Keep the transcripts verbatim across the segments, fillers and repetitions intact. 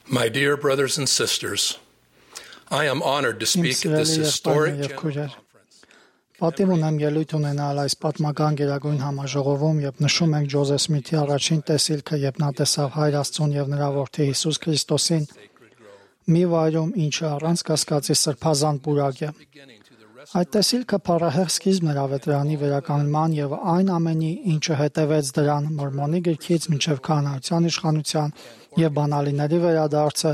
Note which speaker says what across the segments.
Speaker 1: My dear brothers and sisters, I am honored to speak at this historic General Conference.
Speaker 2: Պատիվ ունեմ ելույթ ունենալ այս պատմական գերագույն համաժողովում, երբ նշում ենք Ջոզեֆ Սմիթի առաջին տեսիլքը, երբ նա տեսավ Հայր Աստծուն եւ նրա որդի Հիսուս Քրիստոսին մի վայրում, ինչը առանց կասկածի սրբազան պուրակ է։ Այդ տեսիլքը փառահեղ սկիզբն էր ավետարանի վերականգնման եւ այն ամենի, ինչը հետևեց դրան Մորմոնի գրքից մինչեւ քահանայության իշխանության եւ բանալիների վերադարձը,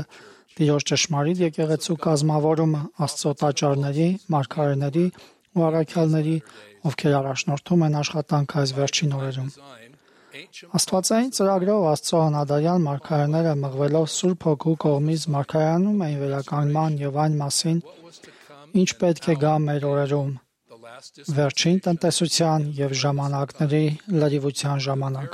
Speaker 2: Տիրոջ ճշմարիտ եկեղեցու կազմավորումը, Աստծո տաճարների, մարգարեների ու առաքյալների, ովքեր առաջնորդում են աշխատանքը այս վերջին օրերում։ Աստվածային ծրագրով Աստծո հնադարյան մարգարեները մղվելով Սուրբ Հոգու կողմից մարգարեանում էին վերականգնման եւ այն մասին, ինչ պետք է գա մեր օրերում, վերջին տնտեսության եւ ժամանակների լրիվության ժամանակ։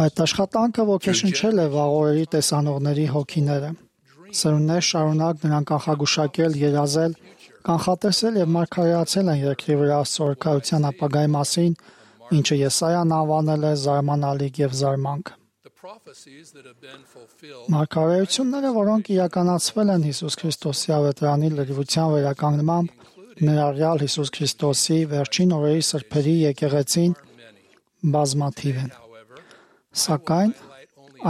Speaker 2: Այդ աշխատանքը ոգեշնչել է վաղ օրերի տեսանողների հոգիները։ Սերունդներ շարունակ նրանք կանխագուշակել, երազել, կանխատեսել եւ մարգարեացել են երկրի վրա Աստծո օրհնության ապագայի մասին, ինչը Եսայան անվանել է զարմանալիք եւ զարմանք։ Մարգարեությունները, որոնք իրականացվել են Հիսուս Քրիստոսի ավետարանի լրիվության վերականգնմամբ, ներառյալ Հիսուս Քրիստոսի վերջին օրերի սրբերի եկեղեցին, բազմաթիվ են։ Սակայն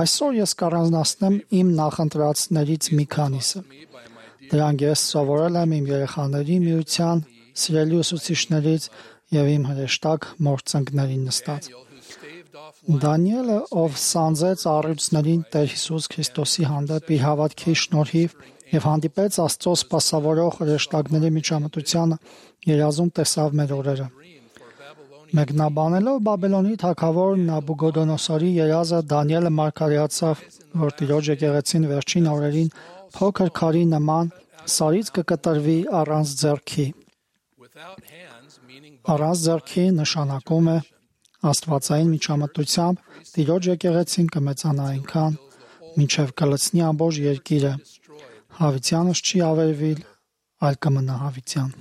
Speaker 2: այսօր ես կառանձնացնեմ իմ նախընտրածներից մի քանիսը։ Դրանք ես սովորել եմ իմ երեխաների միության սիրելի ուսուցիչներից եւ իմ հրեշտակ մորձընկներին նստած։ Դանիելը, ով սանձեց առյուծներին Տեր Հիսուս Քրիստոսի հանդեպ իր հավատքի շնորհիվ եւ հանդիպեց Աստծո սպասավորող հրեշտակների միջամտությանը, երազում տեսավ մեր օրերը։ Մեկնաբանելով Բաբելոնի թագավոր Նաբուգոդոնոսորի երազը, Դանիելը մարգարեացավ, որ Տիրոջ եկեղեցին վերջին օրերին փոքր քարի նման սարից կկտրվի առանց ձեռքի։ Առանց ձեռքի նշանակում է Աստվածային միջամտությամբ Տիրոջ եկեղեցին կմեծանա այնքան, մինչև կլցնի ամբողջ երկիրը, հավիտյանս չի ավերվիլ, այլ կմնա հավիտյան։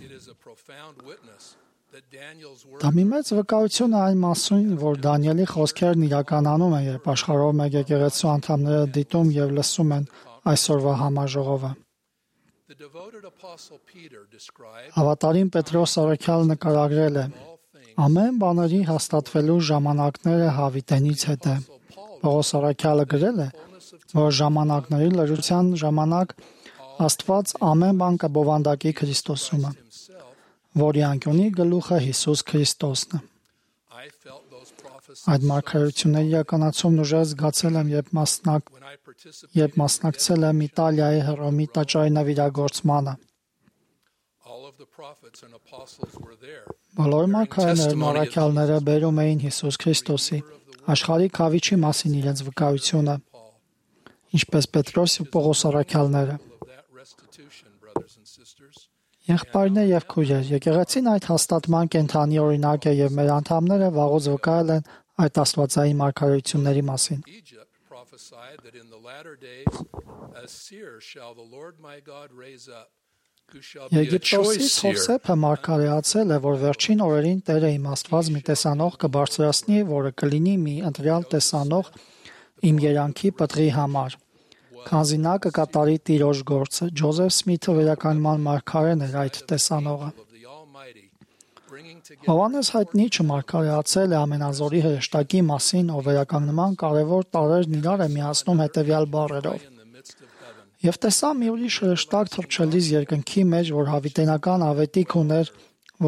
Speaker 2: Դա մի մեծ վկայություն է այն մասին, որ Դանիելի խոսքերն իրականանում են, երբ աշխարհով մեկ եկեղեցու անդամները դիտում եւ լսում են այսօրվա համաժողովը։ Հավատարիմ Պետրոս առաքյալը նկարագրել է. ամեն բաների հաստատվելու ժամանակները հավիտենից հետ է։ Պողոս առաքյալը գրել է, որ ժամանակների լրության ժամանակ Աստված ամեն բան կբովանդակի Քրիստոսումը, որի անկյունի գլուխը Հիսուս Քրիստոսն է։ Այդ մարգարեությունների իրականացումն ուժեղ զգացել եմ, երբ մասնակ երբ մասնակցել եմ Իտալիայի Հռոմի տաճարի նվիրագործմանը։ Բոլոր մարգարեներն ու առաքյալները բերում էին Հիսուս Քրիստոսի, աշխարհի քավիչի մասին իրենց վկայությունը, ինչպես Պետրոս ու Պողոս առաքյալները։ Եղբայրներ եւ քույրեր, եկեղեցին այդ հաստատման կենթանի օրինակ է եւ մեր անդամները վաղուց վկայել են այդ աստվածային մարգարեությունների մասին։ Եգիպտոսից Հովսեփը մարգարեացել է, որ վերջին օրերին Տերը իմ Աստված մի տեսանող կբարձրացնի, որը կլինի մի ընտրյալ տեսանող իմ երանքի պտղի համար։ Քանզի նա կկատարի Տիրոջ գործը, Ջոզեֆ Սմիթը վերականգնման մարգարեն էր այդ տեսանողը։ Հովհաննես հայտնի չմարգարեացել է ամենազորի հրեշտակի մասին, ով վերականգնման կարևոր տարրերն իրար է միացնում հետևյալ բառերով. Եվ տեսա մի ուրիշ հրեշտակ թռչելիս երկնքի մեջ, որ հավիտենական ավետիք ուներ,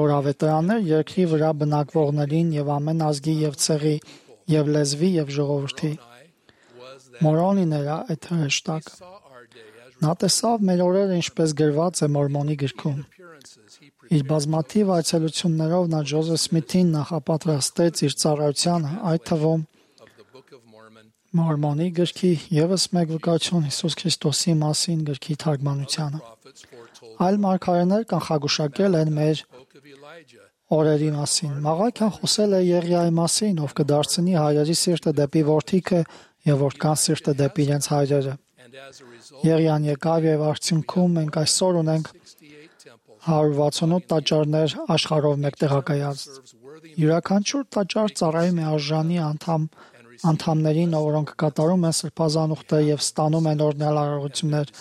Speaker 2: որ ավետարաններ երկրի վրա բնակվողներին եւ ամեն ազգի եւ ցեղի եւ լեզվի եւ ժողովրդի։ Մորոնին էր այդ հրեշտակը։ Նա տեսավ մեր օրերը ինչպես գրված է Մորմոնի գրքում։ Իր բազմաթիվ այցելություններով նա Ջոզեֆ Սմիթին նախապատրաստեց իր ծառայությանը, այդ թվում Մորմոնի գրքի եւս մեկ վկայություն Հիսուս Քրիստոսի մասին գրքի թարգմանությանը։ Այլ մարգարեներ կանխագուշակել են մեր օրերի մասին։ Մաղաքյան խոսել է Եղիայի մասին, ով կդարձնի հայրերի սիրտը դեպի որդիքը եւ որդքան սիրտը դեպի իրենց հայրերը։ Եղիան եկավ եւ արդյունքում մենք այսօր ունենք հարյուր վաթսունութ տաճարներ աշխարհով մեկ տեղակայած։ Յուրաքանչյուր տաճար ծառայում է արժանի անդամ անդամներին, որոնք կատարում են սրբազանուղտը եւ ստանում են օրհնյալ արարողություններ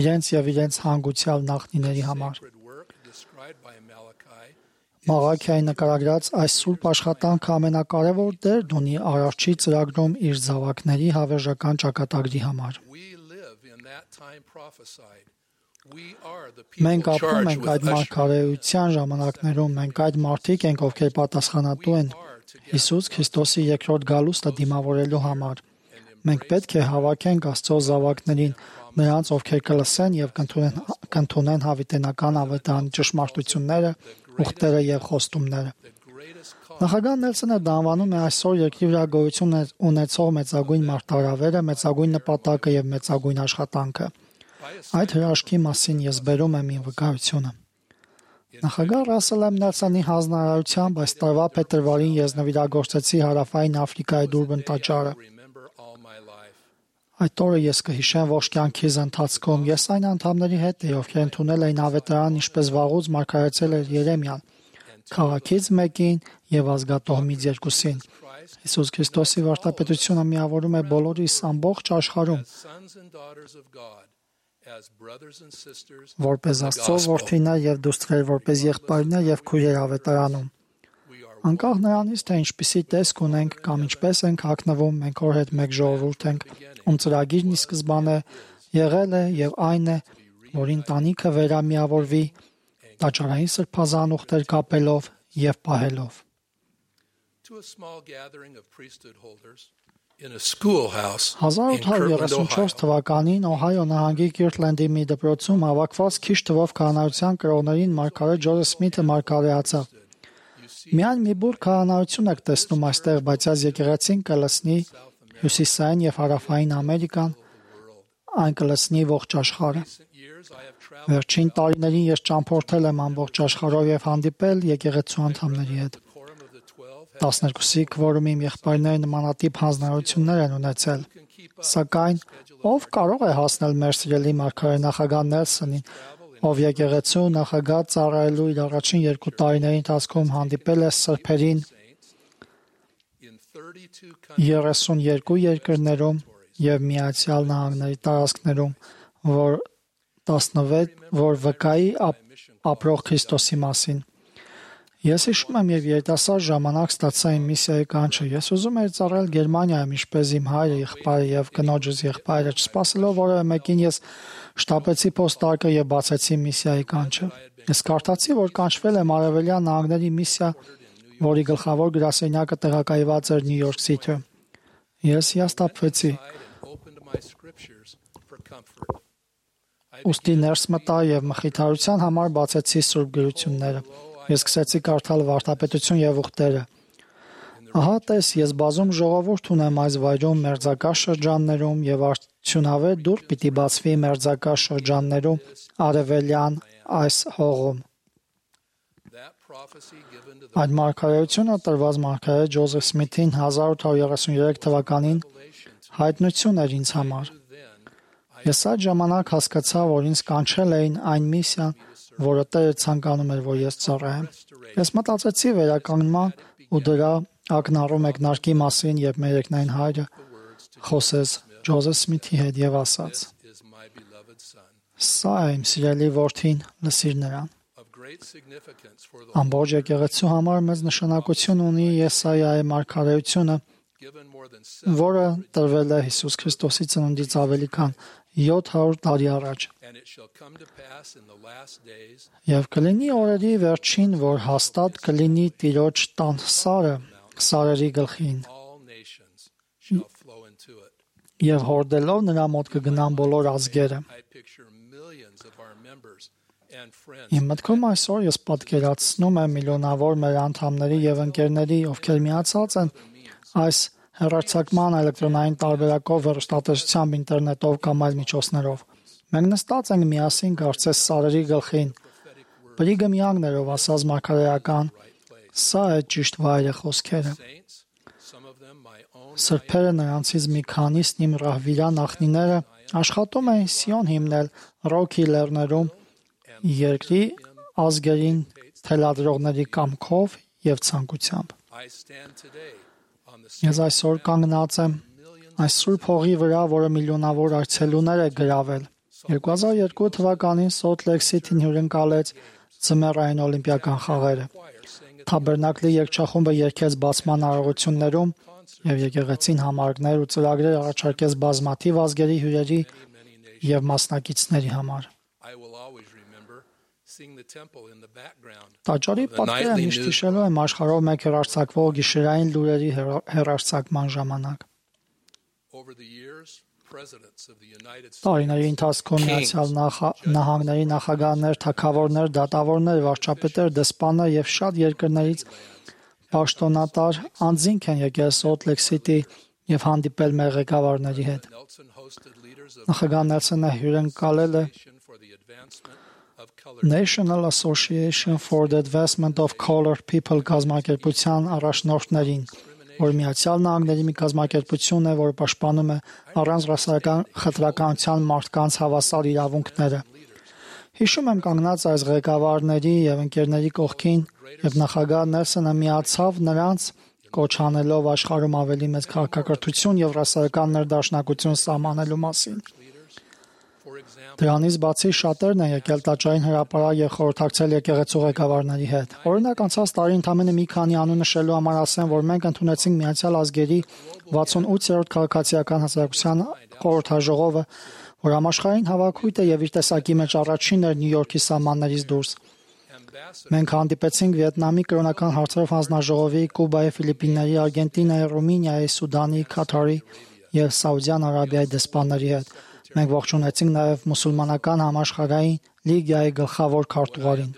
Speaker 2: իրենց եւ իրենց հանգուցյալ նախնիների համար։ Մաղաքիայի նկարագրած այս սուրբ աշխատանքը ամենակարևոր դերն ունի Արարչի ծրագրում իր զավակների հավերժական ճակատագրի համար։ Մենք ապրում ենք այդ մարգարեության ժամանակներում, մենք այդ մարդիկ ենք, ովքեր պատասխանատու են Հիսուս Քրիստոսի երկրորդ գալուստը դիմավորելու համար։ Մենք պետք է հավաքենք Աստծո զավակներին, նրանց, ովքեր կլսեն եւ կընդունեն հավիտենական ավետարանի ճշմարտությունները, ուխտերը եւ խոստումները։ Նախագահ Նելսոնը դա անվանում է այսօր երկրի վրա գոյություն ունեցող մեծագույն մարտահրավերը, մեծագույն նպատակը եւ մեծագույն աշխատանքը։ Այդ հրաշքի մասին ես բերում եմ իմ վկայությունը։ Նախագահ Ռասել Էմ Նելսոնի հանձնարարությամբ այս տարվա փետրվարին ես նվիրագործեցի Հարավային Աֆրիկայի Դուրբան տաճարը։ Այդ օրը ես կհիշեմ ողջ կյանքիս ընթացքում։ Ես այն անդամների հետ էի, ովքեր ընդունել էին ավետարան, ինչպես վաղուց մարգարեցել էր Երեմիան, քաղաքից մեկին եւ ազգատոհմից երկուսին։ Հիսուս Քրիստոսի վարդապետությունը միավորում է բոլորիս ամբողջ աշխարհում, որպես Աստծո որդիներ եւ դուստրեր, որպես եղբայրներ եւ քույրեր ավետարանում։ Անկախ նրանից, թե ինչպիսի տեսք ունենք կամ ինչպես ենք հագնվում, մենք օր հետ մեկ ժողովուրդ ենք, ում ծրագիրն ի սկզբանե եղել է եւ այն է, որ ընտանիքը վերամիավորվի տաճարային սրբազան ուխտեր կապելով եւ պահելով։ հազար ութ հարյուր երեսունչորս թվականին Օհայո նահանգի Կիրթլենդի մի դպրոցում հավաքված քիչ թվով քահանայության կրողներին մարգարե Ջոզեֆ Սմիթը մարգարեացավ։ Միայն մի բուր քահանայություն եք տեսնում այստեղ, բայց այս եկեղեցին կլսնի հյուսիսային եւ հարավային Ամերիկան, այն կլսնի ողջ աշխարհը։ Վերջին տարիներին ես ճամփորդել եմ ամբողջ աշխարհով եւ հանդիպել եկեղեցու անդամների հետ։ տասներկուսի քվորում իմ եղբայրները նմանատիպ հանձնարարություններ են ունեցել։ Սակայն ով կարող է հասնել մեր սիրելի մարգարե նախագահ Նելսոնին, ով եկեղեցու նախագահ ծառայելու իր առաջին երկու տարիների ընթացքում հանդիպել է սրբերին երեսունյոթ երկրներում եւ Միացյալ Նահանգների տարածքներում, որ տասնվեց որ վկայի ապրող Քրիստոսի մասին։ Ես հիշում եմ եւ երիտասարդ ժամանակ ստացա իմ միսիայի կանչը։ Ես ուզում էի ծառայել Գերմանիայում, ինչպես իմ հայրը, եղբայրը եւ կնոջս եղբայրը, չսպասելով որևէ մեկին ես շտապեցի փոստարկը եւ բացեցի միսիայի կանչը։ Ես կարդացի, որ կանչվել եմ Արևելյան Նահանգների միսիա, որի գլխավոր գրասենյակը տեղակայված էր Նյու Յորք Սիթիում։ Ես հիասթափվեցի։ Ոստի ներս մտա եւ մխիթարության համար բացեցի Սուրբ գրությունները։ Ես սկսեցի կարդալ վարդապետություն եւ ուխտերը։ Ահա տես, ես բազում ժողովուրդ ունեմ այս վայրում մերձակա շրջաններում եւ արդյունավետ դուռ պիտի բացվի մերձակա շրջաններում արևելյան այս հողում։ Այդ մարգարեությունը տրված մարգարե Ջոզեֆ Սմիթին հազար ութ հարյուր երեսունյոթ թվականին հայտնություն էր ինձ համար։ Ես այդ ժամանակ հասկացա, որ ինձ կանչել էին այն միսիան, որը Տերը ցանկանում էր, որ ես ծառայեմ։ Ես մտածեցի վերականգնման ու դրա ակնառու մեկնարկի մասին, երբ մեր երկնային հայրը խոսեց Ջոզեֆ Սմիթի հետ եւ ասաց. «Սա է իմ սիրելի որդին, լսիր նրան»։ Ամբողջ եկեղեցու համար մեծ նշանակություն ունի Եսայիայի մարգարեությունը, որը տրվել է Հիսուս Քրիստոսի ծնունդից ավելի քան յոթ հարյուր տարի առաջ։ Եվ կլինի օրերի վերջին, որ հաստատ կլինի Տիրոջ տան սարը սարերի գլխին։ Եվ հորդելով նրա մոտ կգնան բոլոր ազգերը։ Իմ մտքում այսօր ես պատկերացնում եմ միլիոնավոր մեր անդամների եւ ընկերների, ովքեր միացած են այս հեռարձակման էլեկտրոնային տարբերակով, հեռուստատեսությամբ, ինտերնետով կամ այլ միջոցներով։ Մենք նստած ենք միասին կարծես սարերի գլխին։ Բրիգը միանգներով ասած մարգարեական, սա է ճիշտ վայրը խոսքերը։ Սրբերը նրանցից մի քանիսն իմ ռահվիրա նախնիները աշխատում են Սիոն հիմնել Ռոքի լեռներում երկրի ազգերին թելադրողների կամքով եւ ցանկությամբ։ Ես այսօր կանգնած եմ այս սուրբ հողի վրա, որը միլիոնավոր այցելուներ է գրավել։ երկու հազար երկու թվականին Սոլտ Լեյք Սիթին հյուրընկալեց ձմեռային օլիմպիական խաղերը։ Թաբերնակլի երգչախումբը երգեց բացման արարողություններում և եկեղեցին համարներ ու ծրագրեր առաջարկեց բազմաթիվ ազգերի հյուրերի և մասնակիցների համար։ Տաճարի պատկերը միշտ հիշելու եմ աշխարհով մեկ հեռարձակվող գիշերային լուրերի հեռարձակման ժամանակ։ Տարիների ընթացքում Միացյալ Նահանգների նախագահներ, թագավորներ, դատավորներ, վարչապետեր, դեսպաններ և շատ երկրներից պաշտոնատար անձինք են եկել Սոլտ Լեյք Սիթի և հանդիպել մեր ղեկավարների հետ։ Նախագահ Նելսոնը հյուրընկալել է National Association for the Advancement of Colored People կազմակերպության առաջնորդներին, որ Միացյալ Նահանգների մի կազմակերպություն է, որը պաշտպանում է առանց ռասայական խտրականության մարդկանց հավասար իրավունքները։ Հիշում եմ կանգնած այս ղեկավարների և ընկերների կողքին, և նախագահ Նելսոնը միացավ նրանց, կոչ անելով աշխարհում ավելի մեծ քաղաքակրթություն և ռասայական ներդաշնակություն սահմանելու մասին։ Դրանից բացի շատերն են եկել տաճարին հրապարակ և խորհրդակցել եկեղեցու ղեկավարների հետ։ Օրինակ, անցած տարի ընդամենը մի քանի անուն նշելու համար ասեմ, որ մենք ընդունեցինք Միացյալ Ազգերի վաթսունութերորդ քաղաքացիական հասարակության խորհրդաժողովը, որ համաշխարհային հավաքույթ է և իր տեսակի մեջ առաջինն էր Նյու Յորքի սահմաններից դուրս։ Մենք հանդիպեցինք Վիետնամի կրոնական հարցերով հանձնաժողովի, Կուբայի, Ֆիլիպինների, Արգենտինայի, Ռումինիայի, Սուդանի, Քաթարի և Սաուդյան Արաբիայի դեսպանների հետ։ Մենք ողջունեցինք նաև մուսուլմանական համաշխարհային լիգայի գլխավոր քարտուղարին։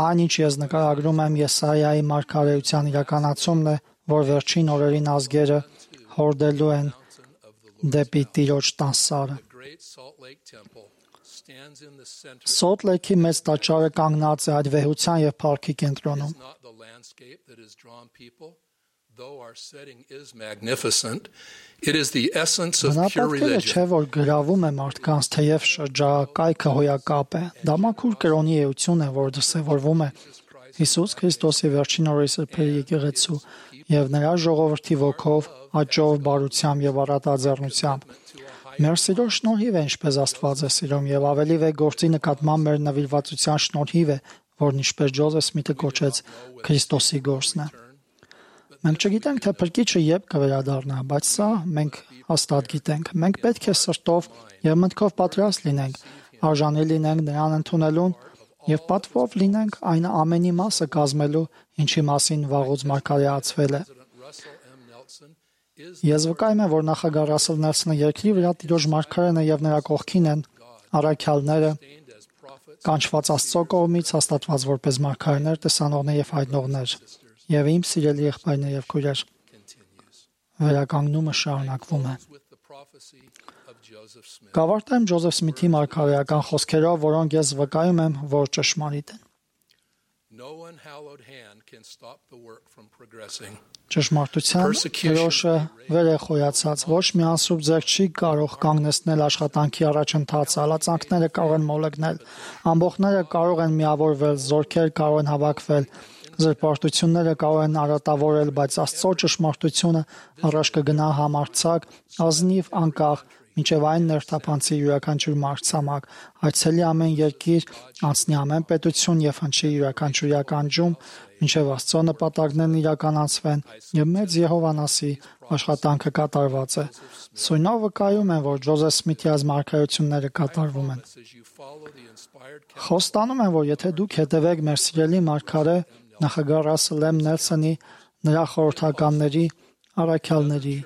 Speaker 2: Այն, ինչ ես նկարագրում եմ, Եսայիայի մարգարեության իրականացումն է, որ վերջին օրերին ազգերը հորդելու են դեպի Տիրոջ տան սարը։ Սոլտ Լեյքի մեծ տաճարը կանգնած է այդ վեհության և փառքի կենտրոնում։ Բնապատկերը չէ, որ գրավում է մարդկանց, թեև շրջակայքը հոյակապ է։ Դա մաքուր կրոնի էություն է, որ դրսևորվում է Հիսուս Քրիստոսի վերջին օրերի սրբերի եկեղեցու և նրա ժողովրդի ոգով, աճով, բարությամբ և առատաձեռնությամբ։ Մեր սիրո շնորհիվ է, ինչպես Աստված է սիրում, և ավելի վեհ գործի նկատմամբ մեր նվիրվածության շնորհիվ է, որն ինչպես Ջոզեֆ Սմիթը կոչեց Քրիստոսի գործն է։ Մենք չգիտենք, թե Փրկիչը երբ կվերադառնա, բայց սա մենք հաստատ գիտենք։ Մենք պետք է սրտով և մտքով պատրաստ լինենք, արժանի լինենք նրան ընդունելուն և պատվով լինենք այն ամենի մասը կազմելու, ինչի մասին վաղուց մարգարեացվել է։ Ես վկայում եմ, որ նախագահ Ռասել Նելսոնը երկրի վրա Տիրոջ մարգարեն է և նրա կողքին են առաքյալները, կանչված Աստծո կողմից, հաստատված որպես մարգարեներ, տեսանողներ և հայտնողներ, և իմ սիրելի եղբայրներ և քույրեր, վերականգնումը շարունակվում է։ Կավարտեմ Ջոզեֆ Սմիթի մարգարեական խոսքերով, որոնք ես վկայում եմ, որ ճշմարիտ են։ Ճշմարտության դրոշը վեր է խոյացած, ոչ մի անսուրբ ձեռք չի կարող կանգնեցնել աշխատանքի առաջընթացը, հալածանքները կարող են մոլեգնել, ամբոխները կարող են միավորվել, զորքեր կարող են հավաքվել, զրպարտությունները կարող են արատավորել, բայց Աստծո ճշմարտությունը առաջ կգնա համարձակ, ազնիվ, անկախ, մինչև այն ներթափանցի յուրաքանչյուր մայրցամաք, այցելի ամեն երկիր, անցնի ամեն պետություն և հնչի յուրաքանչյուր ականջում, մինչև Աստծո նպատակներն իրականացվեն և մեծ Եհովան ասի. աշխատանքը կատարված է։ Սույնով վկայում եմ, որ Ջոզեֆ Սմիթի այս մարգարեությունները կատարվում են։ Խոստանում եմ, որ եթե դուք հետևեք մեր սիրելի մարգարե նախագահ Ռասել Էմ Նելսոնի, նրա խորհրդականների, առաքյալների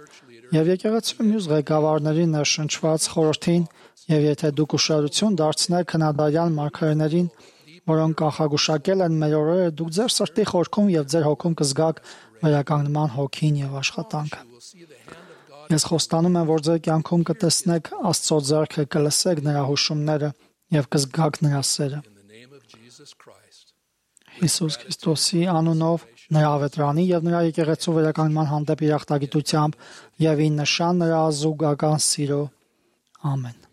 Speaker 2: և եկեղեցու մյուս ղեկավարների ներշնչված խորհրդին, և եթե դուք ուշադրություն դարձնեք քնադարյան մարգարեներին, որոնք կանխագուշակել են մեր օրերը, դուք ձեր սրտի խորքում և ձեր հոգում կզգաք վերականգնման հոգին և աշխատանքը։ Ես խոստանում եմ, որ ձեր կյանքում կտեսնեք Աստծո ձեռքը, կլսեք նրա հուշումները և կզգաք նրա սերը։ Հիսուս Քրիստոսի անունով, նրա ավետրանի և նրա եկեղեցու վերականգնման հանդեպ իր ախտագիտությամբ և ի նշան նրա ազուգական սիրո։ Ամեն։